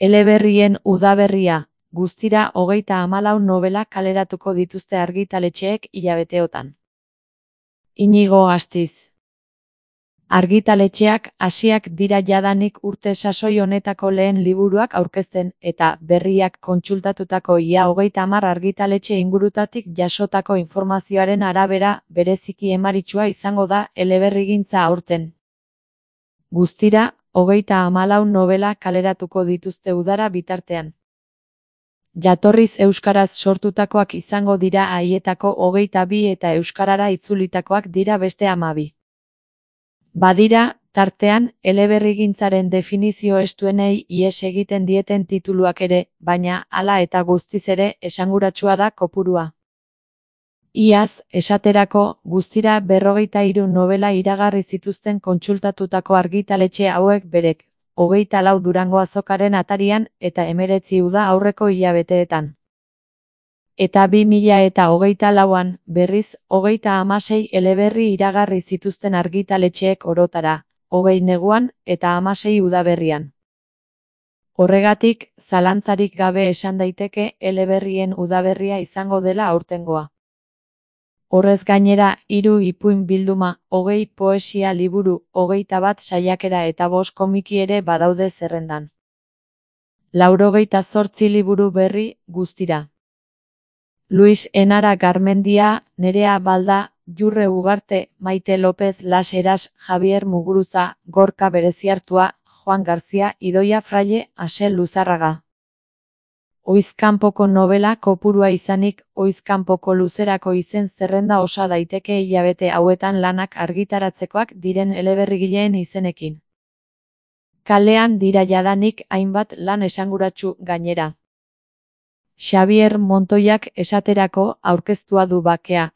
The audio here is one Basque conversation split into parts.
Eleberrien udaberria, guztira 34 nobela kaleratuko dituzte argitaletxeek hilabeteotan. Inigo Astiz. Argitaletxeak hasiak dira jadanik urte sasoi honetako lehen liburuak aurkezten eta berriak kontsultatutako ia 30 argitaletxe ingurutatik jasotako informazioaren arabera bereziki emaritsua izango da eleberrigintza aurten. Guztira, 34 nobela kaleratuko dituzte udara bitartean. Jatorriz euskaraz sortutakoak izango dira haietako 22 eta euskarara itzulitakoak dira beste 12. Badira, tartean, eleberrigintzaren definizio estuenei ihes egiten dieten tituluak ere, baina hala eta guztiz ere esanguratsua da kopurua. Iaz, esaterako, guztira 43 nobela iragarri zituzten kontsultatutako argitaletxe hauek berek, 24 Durango Azokaren atarian eta 19 uda aurreko hilabeteetan. Eta 2024an, berriz, 36 eleberri iragarri zituzten argitaletxeek orotara, 20 neguan eta 16 udaberrian. Horregatik, zalantzarik gabe esan daiteke eleberrien udaberria izango dela aurtengoa. Horrez gainera, 3 ipuin bilduma, 20 poesia liburu, 21 saiakera eta 5 komiki ere badaude zerrendan. 98 liburu berri, guztira. Luis Enara Garmendia, Nerea Balda, Jurre Ugarte, Maite López Las Heras, Javier Muguruza, Gorka Bereziartua, Juan Garzia, Idoia Fraile, Asel Luzarraga. Oizkanpoko nobela kopurua izanik, oizkanpoko luzerako izen zerrenda osa daiteke hilabete hauetan lanak argitaratzekoak diren eleberrigileen izenekin. Kalean dira jadanik hainbat lan esanguratsu gainera. Xabier Montoiak esaterako aurkeztua du Bakea,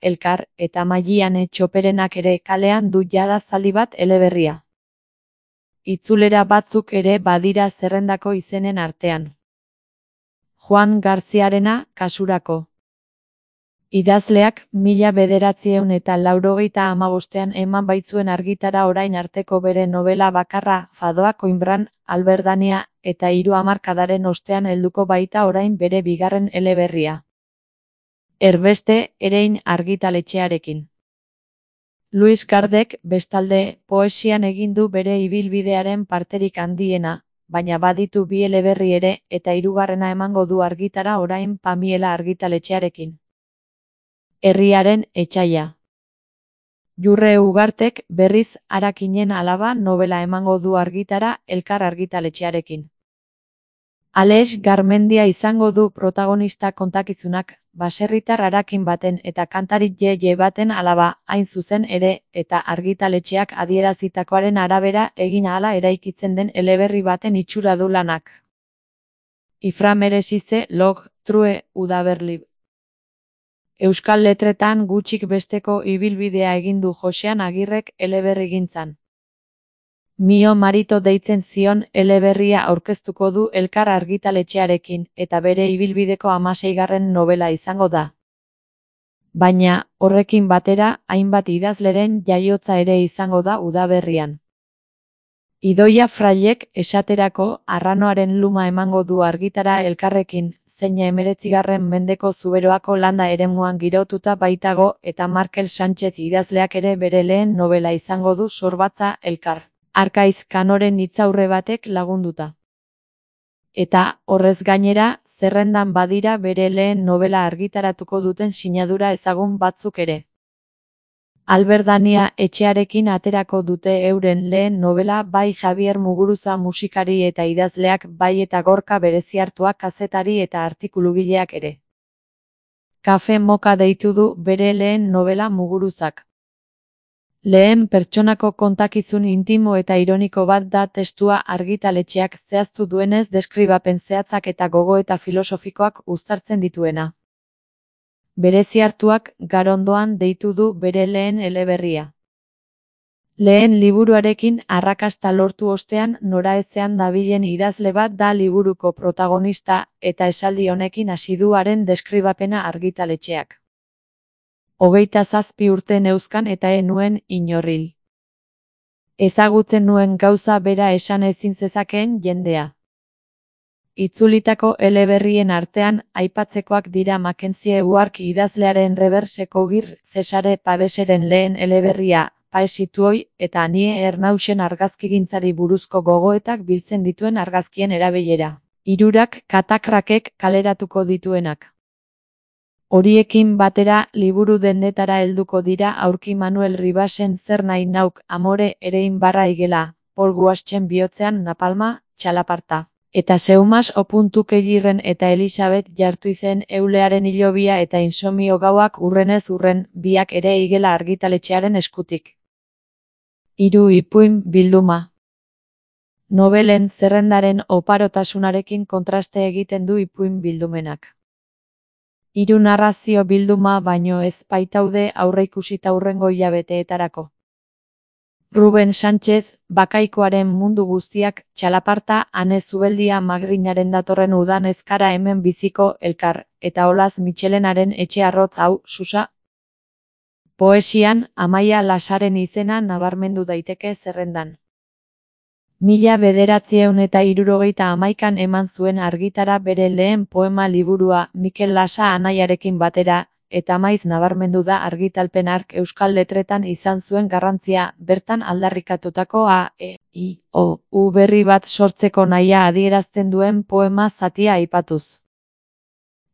Elkar eta Maiane Txoperenak ere kalean du jada zaldi bat eleberria. Itzulera batzuk ere badira zerrendako izenen artean. Juan Garziarena, kasurako. Idazleak 1985ean eman baitzuen argitara orain arteko bere nobela bakarra Fadoa Coimbran, Alberdania, eta 3 hamarkadaren ostean helduko baita orain bere bigarren eleberria. Erbeste, Erein argitaletxearekin. Luis Gardek, bestalde, poesian egin du bere ibilbidearen parterik handiena, baina baditu 2 eleberri ere eta 3. emango du argitara orain Pamiela argitaletxearekin. Herriaren etsaia. Jurre Ugartek berriz Arakinen alaba nobela emango du argitara Elkar argitaletxearekin. Alex Garmendia izango du protagonista kontakizunak, baserritar Arakin baten eta kantari Ye baten alaba, hain zuzen ere, eta argitaletxeak adierazitakoaren arabera egin ahala eraikitzen den eleberri baten itxura du lanak. Ifra Meresize, Log, True, Udaberli. Euskal letretan gutxik besteko ibilbidea egin du Josean Agirrek eleberrigintzan. Mio Marito deitzen zion eleberria aurkeztuko du Elkar argitaletxearekin eta bere ibilbideko 16. nobela izango da. Baina, horrekin batera, hainbat idazleren jaiotza ere izango da udaberrian. Idoia Frailek esaterako Arranoaren luma emango du argitara Elkarrekin, zeina 19. mendeko Zuberoako landa eremuan girotuta baitago eta Markel Sánchez idazleak ere bere lehen nobela izango du Sorbatza Elkar. Arkaiz Kanoren hitzaurre batek lagunduta. Eta, horrez gainera, zerrendan badira bere lehen nobela argitaratuko duten sinadura ezagun batzuk ere. Alberdania etxearekin aterako dute euren lehen nobela bai Javier Muguruza musikari eta idazleak bai eta Gorka Bereziartua kazetari eta artikulugileak ere. Kafe Moka deitu du bere lehen nobela Muguruzak. Lehen pertsonako kontakizun intimo eta ironiko bat da testua argitaletxeak zehaztu duenez deskribapen zehatzak eta gogoeta filosofikoak uztartzen dituena. Bereziartuak Garondoan deitu du bere lehen eleberria. Lehen liburuarekin arrakasta lortu ostean noraezean dabilen idazle bat da liburuko protagonista eta esaldi honekin hasi du haren deskribapena argitaletxeak. 27 urte neuzkan eta nuen inorril. Ezagutzen nuen gauza bera esan ezin zezakeen jendea. Itzulitako eleberrien artean, aipatzekoak dira Mackenzie Wark idazlearen Reverseko Gir, Cesare Paveseren lehen eleberria, Paesituoi, eta Anie Ernausen argazkigintzari buruzko gogoetak biltzen dituen argazkien erabilera. Hirurak Katakrakek kaleratuko dituenak. Horiekin batera, liburu dendetara helduko dira aurki Manuel Ribasen Zer nahi nauk, Amore, Erein barra igela, Paul Guaschen bihotzean Napalma, Txalaparta. Eta Seumas Opuntukegirren eta Elisabet Jartuizen Eulearen hilobia eta Insomio gauak urrenez urren, biak ere igela argitaletxearen eskutik. 3 ipuin bilduma. Nobelen zerrendaren oparotasunarekin kontraste egiten du ipuin bildumenak. 3 narrazio bilduma baino ez baitaude aurreikusita hurrengo hilabeteetarako. Ruben Sánchez, Bakaikoaren mundu guztiak, Txalaparta, Ane Zubeldia Magrinaren datorren udan ezkara hemen biziko, Elkar, eta Olaz Mitxelenaren etxe arrotz hau, Susa. Poesian, Amaia Lasaren izena nabarmendu daiteke zerrendan. 1971an eman zuen argitara bere lehen poema liburua Mikel Lasa anaiarekin batera, eta maiz nabarmendu da argitalpen hark euskal letretan izan zuen garrantzia, bertan aldarrikatutako A, E, I, O, U berri bat sortzeko nahia adierazten duen poema zatia aipatuz.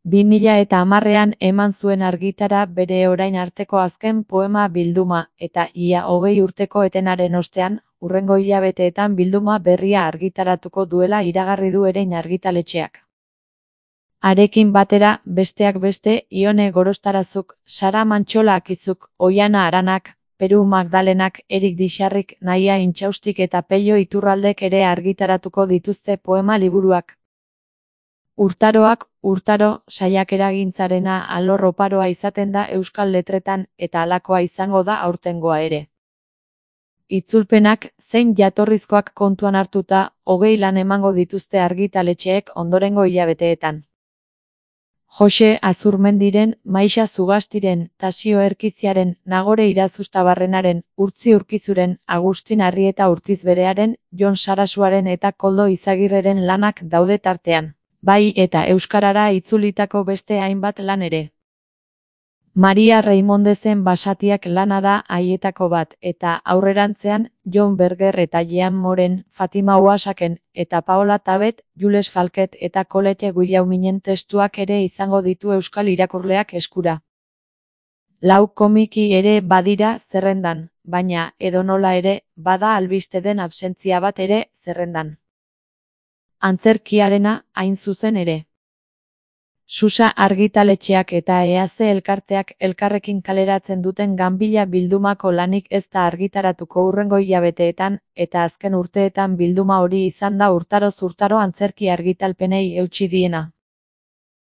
2010an eman zuen argitara bere orain arteko azken poema bilduma, eta ia 20 urteko etenaren ostean, hurrengo hilabeteetan bilduma berria argitaratuko duela iragarri du Erein argitaletxeak. Harekin batera, besteak beste, Ione Gorostarazuk, Sara Mantxola Akizuk, Oiana Aranak, Peru Magdalenak, Erik Dixarrik, Naia Intxaustik eta Pello Iturraldek ere argitaratuko dituzte poema liburuak. Urtaroak, urtaro, saiakeragintzarena alor oparoa izaten da euskal letretan, eta halakoa izango da aurtengoa ere. Itzulpenak, zein jatorrizkoak kontuan hartuta, 20 lan emango dituzte argitaletxeek ondorengo hilabeteetan. Jose Azurmendiren, Maixa Zugastiren, Tasio Erkiziaren, Nagore Irazustabarrenaren, Urtzi Urkizuren, Agustin Arrieta Urtizberearen, Jon Sarasuaren eta Koldo Izagirreren lanak daude tartean. Bai eta euskarara itzulitako beste hainbat lan ere. Maria Reimondezen Basatiak lana da haietako bat, eta aurrerantzean, Jon Berger eta Jean Moren, Fatima Ouasaken, eta Paola Tabet, Jules Falket eta Colette Guillauminen testuak ere izango ditu euskal irakurleak eskura. 4 komiki ere badira zerrendan, baina, edonola ere, bada albiste den absentzia bat ere zerrendan. Antzerkiarena, hain zuzen ere. Susa argitaletxeak eta EAC elkarteak elkarrekin kaleratzen duten Ganbila bildumako lanik ez da argitaratuko hurrengo hilabeteetan, eta azken urteetan bilduma hori izan da urtaroz urtaro antzerki argitalpenei eutsi diena.